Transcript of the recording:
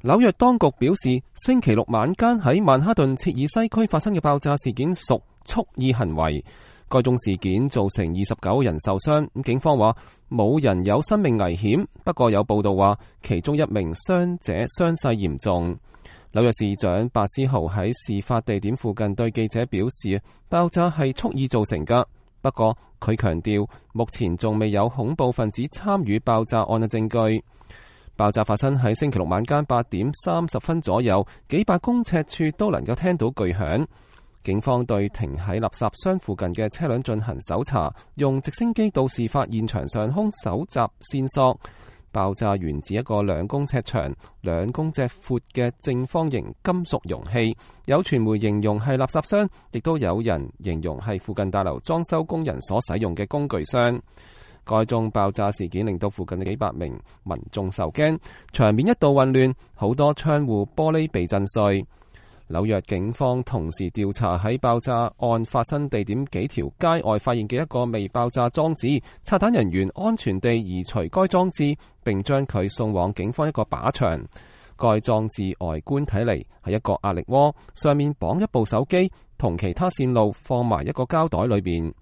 紐約當局表示，星期六晚間喺曼哈頓切爾西區發生嘅爆炸事件屬蓄意行為。該宗事件造成29人受傷，警方話冇人有生命危險，不過有報道話其中一名傷者傷勢嚴重。紐約市長白思豪喺事發地點附近對記者表示，爆炸係蓄意造成㗎，不過佢強調目前仲未有恐怖分子參與爆炸案嘅證據。爆炸發生喺星期六晚間8點30分左右，幾百公尺處都能夠聽到巨響。警方對停喺垃圾箱附近嘅車輛進行搜查，用直升機到事發現場上空搜集線索。爆炸源自一個2公尺長、2公尺闊嘅正方形金屬容器，有傳媒形容係垃圾箱，亦都有人形容係附近大樓裝修工人所使用嘅工具箱。該宗爆炸事件令到附近嘅幾百名民眾受驚，場面一度混亂，好多窗戶玻璃被震碎。紐約警方同時調查喺爆炸案發生地點幾條街外發現嘅一個未爆炸裝置，拆彈人員安全地移除該裝置，並將佢送往警方一個靶場。該裝置外觀睇嚟係一個壓力鍋，上面綁一部手機，同其他線路放埋一個膠袋裏邊。